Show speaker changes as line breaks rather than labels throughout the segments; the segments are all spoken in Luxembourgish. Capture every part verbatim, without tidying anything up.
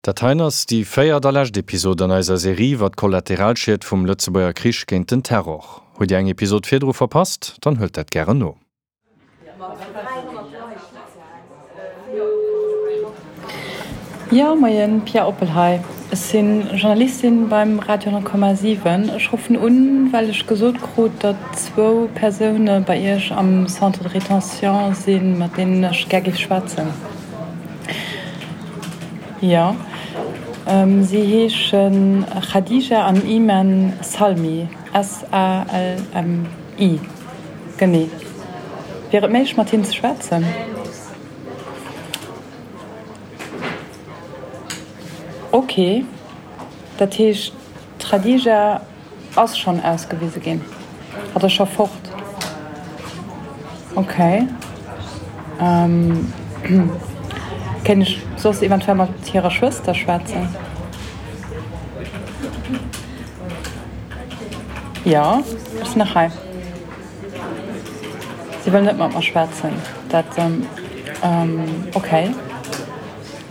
Dat heien ass déi véiert a lescht Episod an eiser Serie iwwer d'Kollateralschied vum Lëtzebuerger Krich géint den Terror. Hutt Dir eng Episod virdru verpasst, dann huelt dat gären no.
Jo, moien, Pia Oppel hei. Ech si Journalistin beim Radio honnert Komma siwen. Ech ruffen un, well ech gesot krut, datt zwou Persoune bei Iech am Centre de rétention sinn, mat deenen ech gär géif schwätzen. Jo, si heesche Khadija an Iman Salmi, S-A-L-M-I, genee. Wier et méiglech, mat hinnen ze schwätzen? Ok, dat heescht d'Khadija ass schonn ausgewise ginn? Hatt ass scho fort? Ok. Kéint ech soss eventuell mat hirer Schwëster schwätzen? Jo, ech sinn nach hei. Si wëll net mat mer schwätzen. Dat, ok.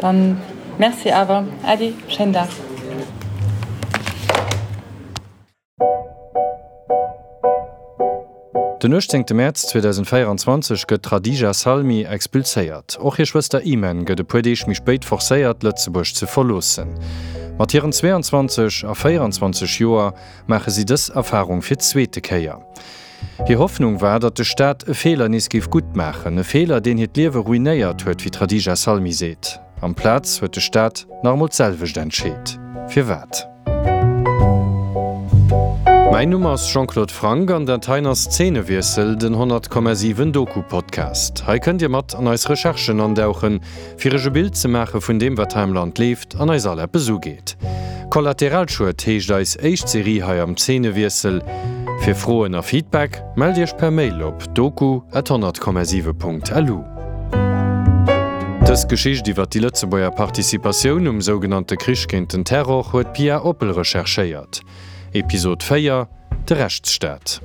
Dann merci awer. Äddi, schéinen Dag.
Den uechtzéngte Mäerz zweedausendvéieranzwanzeg gëtt d'Khadija Salmi expulséiert. Och hir Schwëster Imen gëtt e puer Deeg méi spéit forcéiert, Lëtzebuerg ze verloossen. Mat hiren zweeanzwanzeg a véieranzwanzeg Joer maache si dës Erfarung fir d'zweete Kéier. Hir Hoffnung war, datt de Staat e Feeler nees géif gutt maachen, e Feeler, deen hiert Liewe ruinéiert huet, wéi d'Khadija Salmi seet. Amplaz huet de Staat nach emol d'selwecht entscheet. Firwat? Mäin Numm ass Jean-Claude Franck an dat heien ass Zeenewiessel, den honnert Komma siwen Doku-Podcast. Hei kënnt Dir mat an eis Recherchen andauchen, fir Iech e Bild ze maache vun deem, wat hei am Land leeft an eis all eppes ugeet. Kollateralschued heescht eis éischt Serie hei am Zeenewiessel. Fir Froen a Feedback mellt Iech per Mail op doku at honnert Komma siwe Punkt lu. Dës Geschicht iwwer déi Lëtzebuerger Participatioun um sougenannte Krich géint den Terror huet d'Pia Oppel recherchéiert. Episod véier, De Rechtsstaat.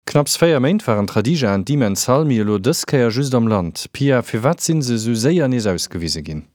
Knapps véier Méint waren d'Khadija an d'Imen Salmi elo dës Kéier just am Land. Pia, firwat si se esou séier nees ausgewise ginn?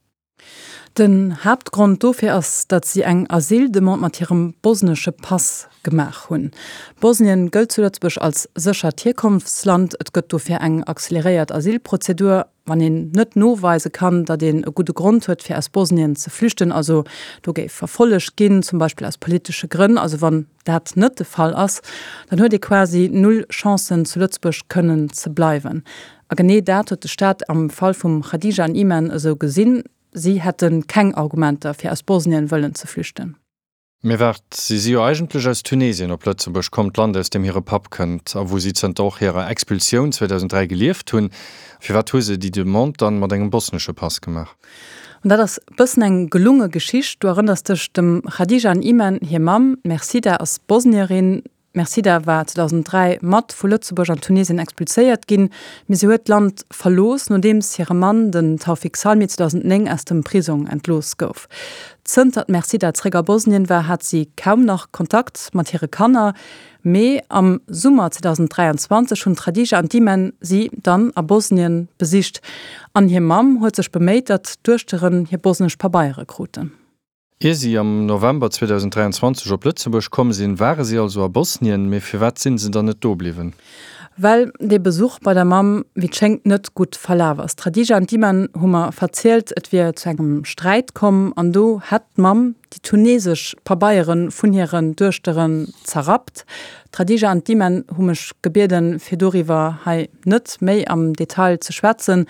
Den Haaptgrond dofir ass, datt si eng Asyldemande mat hirem bosnesche Pass gemaach hunn. Bosnien gëllt zu Lëtzebuerg als séchert Hierkonftsland. Et gëtt dofir eng acceleréiert Asylprozedur, wann een net noweise kann, datt een e gudde Grond huet, fir aus Bosnien ze flüchten, also do géif verfollegt ginn, zum Beispill aus politesche Grënn, also wann dat net de Fall ass, dann huet ee quasi null Chancen, zu Lëtzebuerg kënnen ze bleiwen. A genee dat huet de Staat am Fall vum Khadija an Iman esou gesinn. Si hätte keng Argumenter, fir aus Bosnien wëllen ze flüchten.
Mee waart, si si jo eigentlech aus Tunesien op Lëtzebuerg komm, d'Land aus deem hire Papp kënnt a wou si zënter och hirer Expulsioun zweedausend dräi gelieft hunn. Firwat hu se déi Demande dann mat engem bosnesche Pass gemaach?
An dat ass bëssen eng gelunge Geschicht. Du erënners dech, dem Khadija an Iman hir Mamm, d'Mersida, ass Bosnierin. D'Mersida war zweedausend dräi mat vu Lëtzebuerg an Tunesien expulséiert ginn, mee si huet d'Land verlooss, nodeems hire Mann, den Taoufik Salmi, zweedausend néng aus dem Prisong entlooss gouf. Zënter d'Mersida zeréck a Bosnien war, hat si kaum nach Kontakt mat hire Kanner, mee am Summer zweedausend dräianzwanzeg hunn d'Khadija an d'Iman si dann a Bosnien besicht an hir Mamm huet sech beméit, datt d'Duechteren hir bosnesch Pabeiere kruten.
Ier si am November zweedausend dräianzwanzeg op Lëtzebuerg komm sinn, ware si also a Bosnien. Mee firwat si se dann net do bliwwen?
Well dee Besuch bei der Mamm, wéi et schéngt, net gutt verlaf ass. D'Khadija an d'Iman hu mer verzielt, et wier zu engem Sträit komm an do hätt d'Mamm déi tunesesch Pabeiere vun hiren Duechteren zerrappt. D'Khadija an d'Iman hu mech gebieden, fir doriwwer hei net méi am Detail ze schwätzen.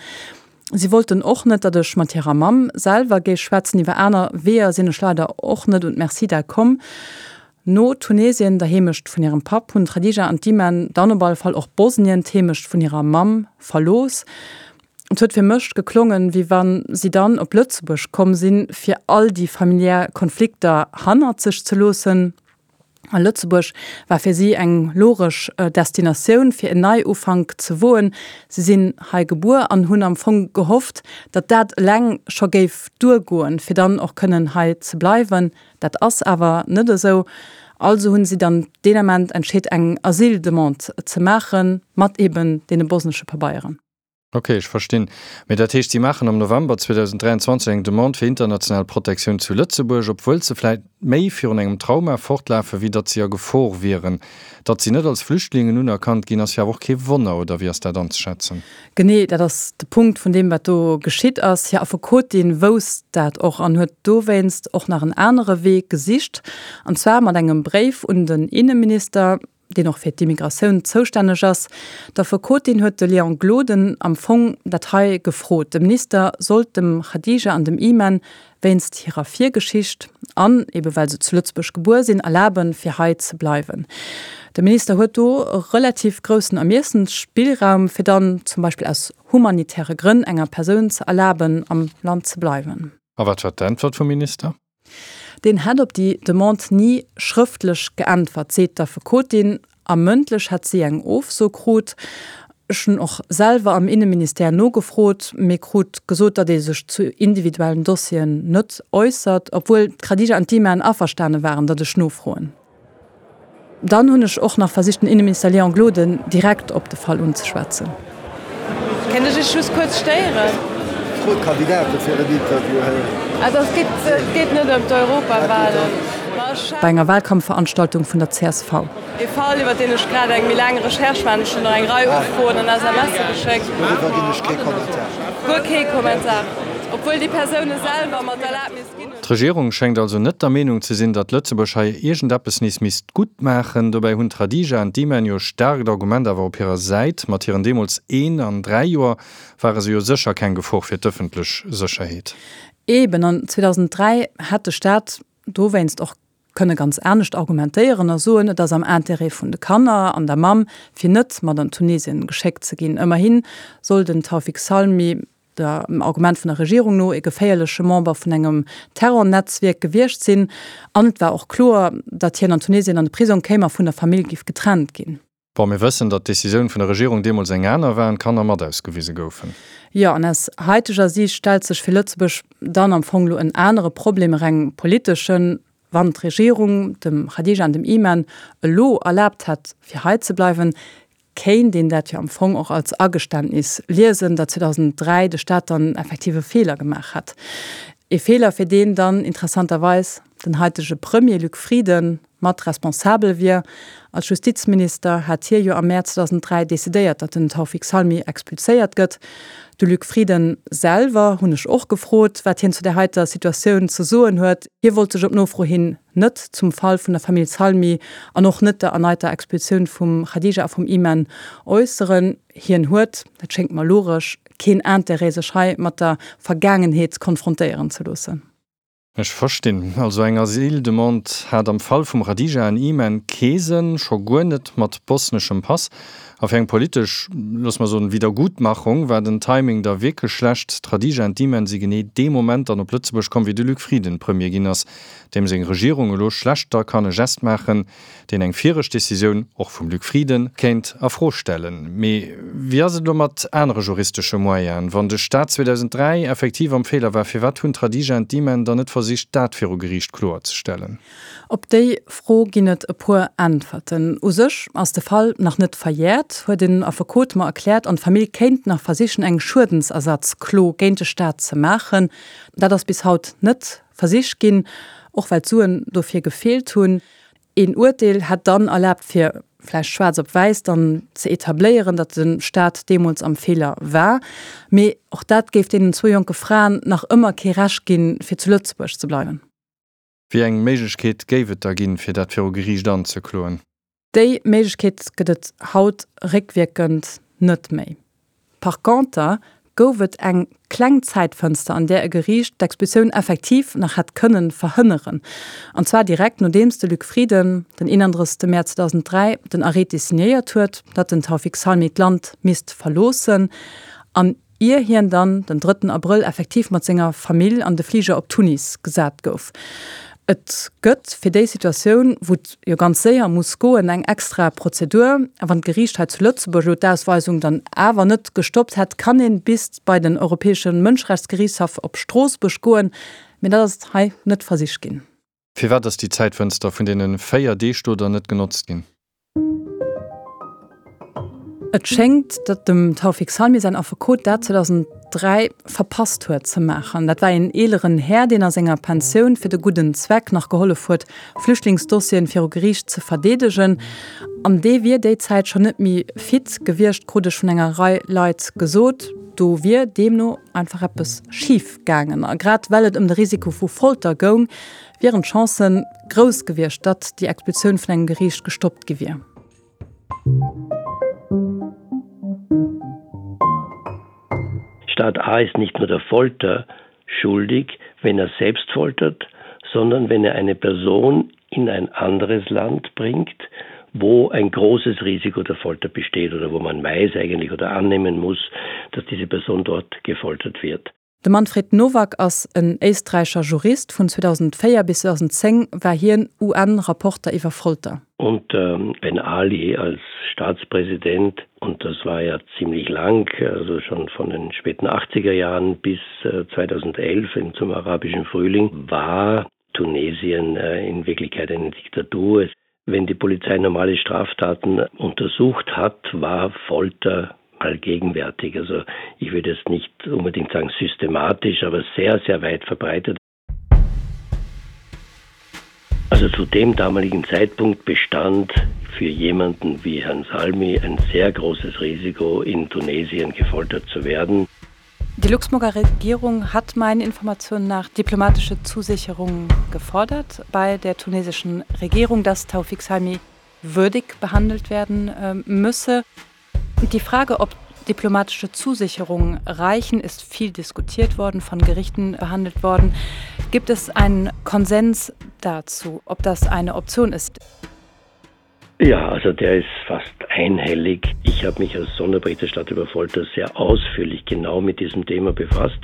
Si wollten och net, datt ech mat hirer Mamm selwer géif schwätzen. Iwwer aner Weeër sinn ech leider och net un d'Mersida komm. No Tunesien, der Heemecht vun hirem Papp, hunn d'Khadija an d'Iman dann op alle Fall och Bosnien, d'Heemecht vun hirer Mamm, verlooss. Et huet fir mech geklongen, wéi wa si dann op Lëtzebuerg komm sinn, fir all déi familiär Konflikter hannert sech ze loossen. A Lëtzebuerg war fir si eng logesch Destinatioun, fir en Neiufank ze woen. Si sinn hei gebuer an hunn am Fong gehofft, datt dat eleng scho géif duergoen, fir dann och kënnen hei ze bleiwen. Dat ass awer net esou. Also hunn si dann deen Ament entscheet, eng Asyldemande ze maachen, mat eben deene bosnesche Pabeieren.
Ok, ech verstinn. Mee dat heescht, si maachen am November zweedausenddräianzwanzeg eng Demande fir international Protektioun zu Lëtzebuerg, obwuel se vläit méi virun engem Trauma fortlafen, wéi datt si a Gefor wieren. Datt si net als Flüchtlingen unerkannt ginn, ass jo awer och kee Wonner, oder wéi ass dat anzeschätzen?
Genee, dat ass de Punkt vun deem, wat do geschitt ass. Hir Affekotin wousst dat och an huet dowéinst och nach en anere Wee gesicht, an zwar mat engem Bréif un den Inneminister, deen och fir d'Immigratioun zoustänneg ass. D'Affekotin huet de Léon Gloden am Fong dat hei gefrot, de Minister sollt dem Khadija an dem Iman wéinst hirer Virgeschicht an ebe well se zu Lëtzebuerg gebuer sinn, erlaben, fir hei ze bleiwen. De Minister huet do e relativ groussen Ermiessensspillraum, fir dann zum Beispill aus humanitäre Grënn enger Persoun ze erlaben, am Land ze bleiwen.
A wat war d'Äntwert vum Minister?
Deen hätt op déi Demande ni schrëftlech geäntwert, seet d'Affekotin, a mëndlech hätt si eng Ofso krut. Ech hunn och selwer am Inneministère nogefrot, mee krut gesot, datt ee sech zu individuellen Dossieren net äussert, obwuel d'Khadija an d'Iman averstane waren, datt ech nofroen. Dann hunn ech och nach versicht, den Inneminister Léon Gloden direkt op de Fall unzeschwätzen.
Kéint ech Iech just kuerz stéieren?
Fro d'Kandidate fir en Interview héieren.
Also et geet, et geet net ëm d'Europawahlen.
Bei enger Wahlkampfveranstaltung vun der C S V.
Ee Fall, iwwer deen ech grad eng méi laang Recherche maachen. Ech hunn der eng Rei Ufroen an S M Sse geschéckt.
Doriwwer ginn ech kee Kommentar.
Guer kee Kommentar, obwuel déi Persoune selwer mer d'Erlaabnis ginn hunn.
D'Regierung schéngt also net der Meenung ze sinn, datt Lëtzebuerg hei iergendeppes nees misst gutt maachen. Dobäi hunn d'Khadija an d'Iman jo e staarkt Argument awer op hirer Säit, Mat hiren deemools een an dräi Joer ware se jo sécher keng Gefor fir d'ëffentlech Sécherheet.
Eben, an zweedausenddräi hätt de Staat dowéinst och kënne ganz anescht argumentéieren a soen, et ass am Intérêt vun de Kanner an der Mamm, fir net mat an Tunesien geschéckt ze ginn. Ëmmerhi soll den Taoufik Salmi dem Argument vun der Regierung no e geféierleche Member vun engem Terrornetzwierk gewiescht sinn. An et war och kloer, datt hien an Tunesien an de Prisong kéim a vun der Famill giff getrennt ginn.
Bon, mir wëssen, datt d'Decisioun vun der Regierung deemools eng aner war an d'Kanner mat ausgewise goufen.
Jo, an aus haiteger Siicht stellt sech fir Lëtzebuerg dann am Fong elo en anere Problem, e reng politeschen, Wann d'Regierung dem Khadija an dem Iman elo erlaabt hätt, fir hei ze bleiwen, kéint een dat jo am Fong och als Ageständnis liesen, datt zweedausenddräi de Staat dann effektiv e Feeler gemaach hätt. E Feeler, fir deen dann interessanterweis den haitege Premier Luc Frieden mat responsabel wier. Als Justizminister hat hie jo am Mäerz zweedausenddräi decidéiert, datt den Taoufik Salmi expulséiert gëtt. De Luc Frieden selwer hunn ech och gefrot, wat hien zu där heiter Situatioun ze soen huet. Hie wollt sech op Nofro hin net zum Fall vun der Famill Salmi an och net der erneiter Expulsioun vum Khadija a vum Iman äusseren. Hien huet, dat schéngt mer logesch, keen Interêt sech hei mat der Vergaangenheet konfrontéieren ze loossen.
Ech verstinn. Also eng Asyldemande hat am Fall vum Khadija an Iman kee Sënn, scho guer net mat bosneschem Pass. A fir eng politesch, looss mer soen, Wiedergutmachung war den Timing da wierklech schlecht, D'Khadija an d'Iman si genee dee Moment dann op Lëtzebuerg komm, wéi de Luc Frieden Premier ginn ass, deem seng Regierung elo schlecht da kann e Gest maachen, deen eng viregt Decisioun, och vum Luc Frieden, kéint a Fro stellen. Mee wéi ass et elo mat anere juristesche Moyenen? Wann de Staat zweedausenddräi effektiv am Feeler war, firwat hunn d'Khadija an d'Iman dann net versicht, dat viru Geriicht kloerzestellen?
Op déi Fro ginn et e puer Äntwerten. U sech ass de Fall nach net verjäert, huet en Affekot mer erkläert, an d'Famill kéint nach versichen, eng Schuedensersatzklo géint de Staat ze maachen. Dat ass bis haut net versicht ginn, och well d'Suen dofir gefeelt hunn. Een Urteel hätt dann erlaabt, fir vläicht schwaarz op wäiss dann ze etabléieren, datt de Staat deemools am Feeler war. Mee och dat géif deenen zwou jonke Fraen nach ëmmer kee Recht ginn, fir zu Lëtzebuerg ze bleiwen.
Wéi eng Méiglechkeet géif et da ginn, fir dat viru Geriicht anzekloen?
Déi Méiglechkeet gëtt et haut réckwierkend net méi. Par conter gouf et eng kleng Zäitfënster, an där e Geriicht d'Expulsioun effektiv nach hätt kënnen verhënneren. An zwar direkt nodeems de Luc Frieden den eenandrëssegste Mäerz zweedausenddräi den Arrêté signéiert huet, datt den Taoufik Salmi d'Land misst verloossen, an ier hien dann den drëtten Abrëll effektiv mat senger Famill an de Fliger op Tunis gesat gouf. Et gëtt fir déi Situatioun, wou et jo ganz séier muss goen, eng extra Prozedur. A wann d'Geriicht hei zu Lëtzebuerg elo d'Ausweisung dann awer net gestoppt hätt, kann een bis bei den Europäesche Mënscherechtsgeriichtshaff op Stroossbuerg goen. Mee dat ass hei net versicht ginn.
Firwat ass déi Zäitfënster vun deene véier Deeg do dann net genotzt ginn?
Et schéngt, datt dem Taoufik Salmi säin Affekot dat zweedausenddräi verpasst huet ze maachen. Dat war een eeleren Här, deen a senger Pensioun fir de gudden Zweck nach gehollef huet, Flüchtlingsdossieren viru Geriicht ze verdeedegen. An dee wier déi Zäit schonn net méi fit gewiescht, krut ech vun enger Rei Leit gesot. Do wier deemno einfach eppes schif gaangen. A grad well et ëm de Risiko vu Folter goung, wieren d'Chancen grouss gewiescht, datt déi Expulsioun vun engem Geriicht gestoppt gi wier.
Staat A ist nicht nur der Folter schuldig, wenn er selbst foltert, sondern wenn er eine Person in ein anderes Land bringt, wo ein großes Risiko der Folter besteht oder wo man weiß eigentlich oder annehmen muss, dass diese Person dort gefoltert wird.
De Manfred Nowak ass en éisträicher Jurist. Vun zweedausenddvéier bis zweedausendzéng war hien U N-Rapporter iwwer Folter.
Und Ben Ali als Staatspräsident, und das war ja ziemlich lang, also schon von den späten achtziger Jahren bis zweitausendelf zum arabischen Frühling, war Tunesien in Wirklichkeit eine Diktatur. Wenn die Polizei normale Straftaten untersucht hat, war Folter allgegenwärtig. Also ich würde es nicht unbedingt sagen systematisch, aber sehr, sehr weit verbreitet. Also zu dem damaligen Zeitpunkt bestand für jemanden wie Herrn Salmi ein sehr großes Risiko, in Tunesien gefoltert zu werden.
Die Luxemburger Regierung hat meinen Informationen nach diplomatische Zusicherungen gefordert bei der tunesischen Regierung, dass Taoufik Salmi würdig behandelt werden müsse. Und die Frage, ob diplomatische Zusicherungen reichen, ist viel diskutiert worden, von Gerichten behandelt worden. Gibt es einen Konsens dazu, ob das eine Option ist?
Ja, also der ist fast einhellig. Ich habe mich als Sonderberichterstatter über Folter sehr ausführlich genau mit diesem Thema befasst.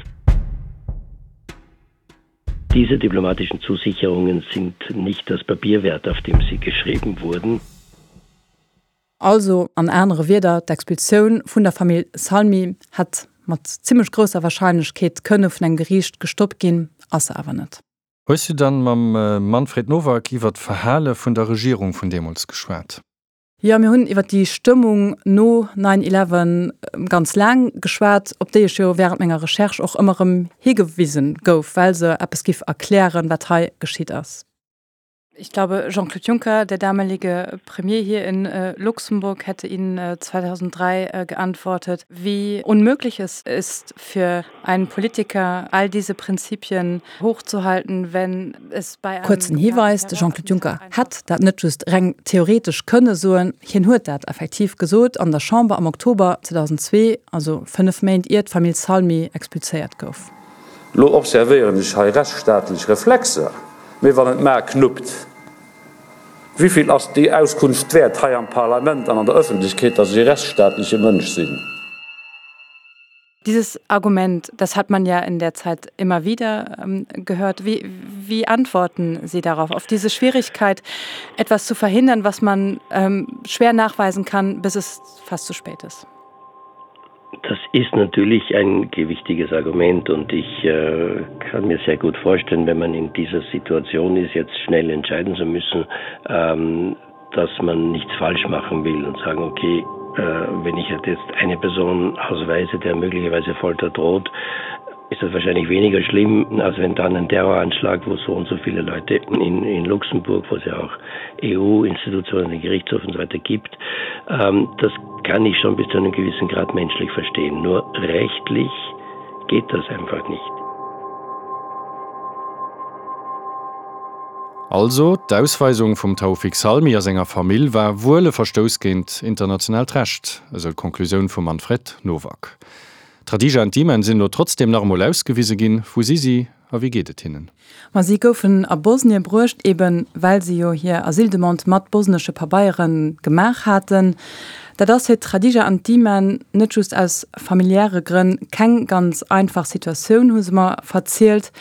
Diese diplomatischen Zusicherungen sind nicht das Papier wert, auf dem sie geschrieben wurden.
Also an anere Wierder, d'Expulsioun vun der Famill Salmi hätt mat zimmlech grousser Warscheinlechkeet kënne vun engem Geriicht gestoppt ginn, ass se awer net.
Hues du dann mam Manfred Nowak iwwer d'Verhale vun der Regierung vun deemools geschwat?
Jo, mir hunn iwwer déi Stëmmung no nine eleven ganz laang geschwat, op déi ech jo wärend menger Recherche och ëmmer erëm higewisen gouf, well se eppes giff erklären, wat hei geschitt ass. Ich glaube, Jean-Claude Juncker, der damalige Premier hier in äh, Luxemburg, hätte Ihnen äh, zweitausenddrei äh, geantwortet, wie unmöglich es ist für einen Politiker, all diese Prinzipien hochzuhalten, wenn es bei einem Kurzen Hiweis, de Jean-Claude Juncker hätt dat net just reng theoretesch kënne soen, hien huet dat effektiv gesot an der Chamber am Oktober zweitausendzwee, also fënnef Méint ier d'Famill Salmi expulséiert gouf.
Lo observéieren ech hei rechtsstaatlech Reflexer, mee wann et maer knuppt, wivill ass déi Auskunft wäert hei am Parlament an an der Ëffentlechkeet, dass ech e rechtsstaatleche Mënsch sinn?
Dieses Argument, das hat man ja in der Zeit immer wieder gehört. Wie, wie antworten Sie darauf, auf diese Schwierigkeit, etwas zu verhindern, was man schwer nachweisen kann, bis es fast zu spät ist?
Das ist natürlich ein gewichtiges Argument und ich äh, kann mir sehr gut vorstellen, wenn man in dieser Situation ist, jetzt schnell entscheiden zu müssen, ähm, dass man nichts falsch machen will und sagen, okay, äh, wenn ich jetzt eine Person ausweise, der möglicherweise Folter droht, ist das wahrscheinlich weniger schlimm, als wenn dann ein Terroranschlag, wo so und so viele Leute in, in Luxemburg, wo es ja auch E U-Institutionen, den Gerichtshof und so weiter gibt. Ähm, das kann ich schon bis zu einem gewissen Grad menschlich verstehen. Nur rechtlich geht das einfach nicht.
Also, d'Ausweisung vum Taoufik Salmi a senger Famill war wuel e Verstouss géint internationaalt Recht, esou d'Konklusioun vum Manfred Nowak. D'Khadija an d'Iman sinn elo trotzdeem nach emol ausgewise ginn. Wou si si a wéi geet et hinnen?
Ma si goufen a Bosnie bruecht, eben well si jo hir Asyldemande mat bosnesche Pabeiere gemaach haten. Dat ass fir d'Khadija an d'Iman net just aus familiäre Grënn keng ganz einfach Situatioun, hu se mer verzielt.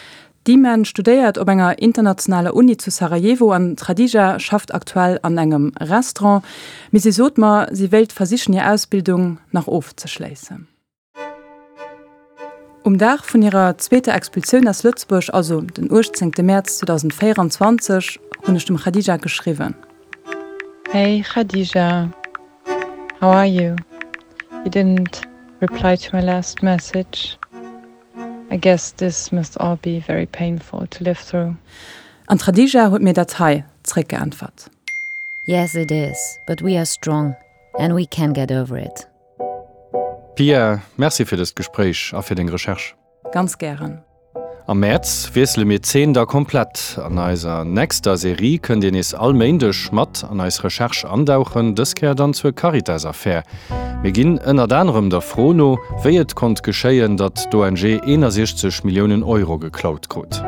D'Iman studéiert op enger internationaler Uni zu Sarajevo an d'Khadija schafft aktuell an engem Restaurant. Mee si sot mer, si wéilt versichen hir Ausbildung nach ofzeschléissen. Um Dag vun hirer zweeter Expulsioun aus Lëtzebuerg, also den uechtzéngte Mäerz zweedausendvéierundzwanzeg, hunn ech dem Khadija geschriwwen. Hey Khadija, how are you? You didn't reply to my last message. I guess this must all be very painful to live through. An d'Khadija huet mir dat hei zréckgeäntwert.
Yes, it is, but we are strong and we can get over it.
Pia, Merci fir dëst Gespréich a fir deng Recherche.
Ganz gären.
Am Mäerz wiessele mir d'Zeen da komplett. An eiser nächster Serie kënnt Dir nees all Méindeg mat an eis Recherche andauchen, dës Kéier dann zur Caritas-Affär. Mir ginn ënnert anerem der Fro no, wéi et konnt geschéien, datt d'ONG eenasiechzeg Milliounen Euro geklaut krut.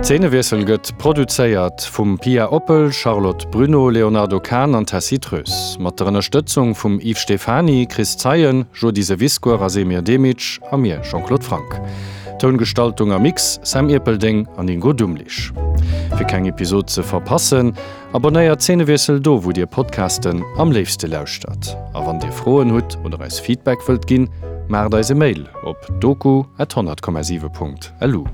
Zeenewiessel gëtt produzéiert vum Pia Oppel, Charlotte Bruneau, Léonardo Kahn an Tessy Treus. Mat der Ënnerstëtzung vum Yves Stephany, Chris Zeien, Jody Sewiscour a Semir Demic a mir, Jean-Claude Franck. Toungestaltung a Mix, Sam Erpelding an Ingo Dumlich. Fir keng Episod ze verpassen, abonnéiert Zeenewiessel do, wou Dir Podcasten am léifste lauschtert. A wann Dir Froen hutt oder eis Feedback wëllt ginn, maacht eis e Mail op doku at honnert Komma siwe Punkt lu.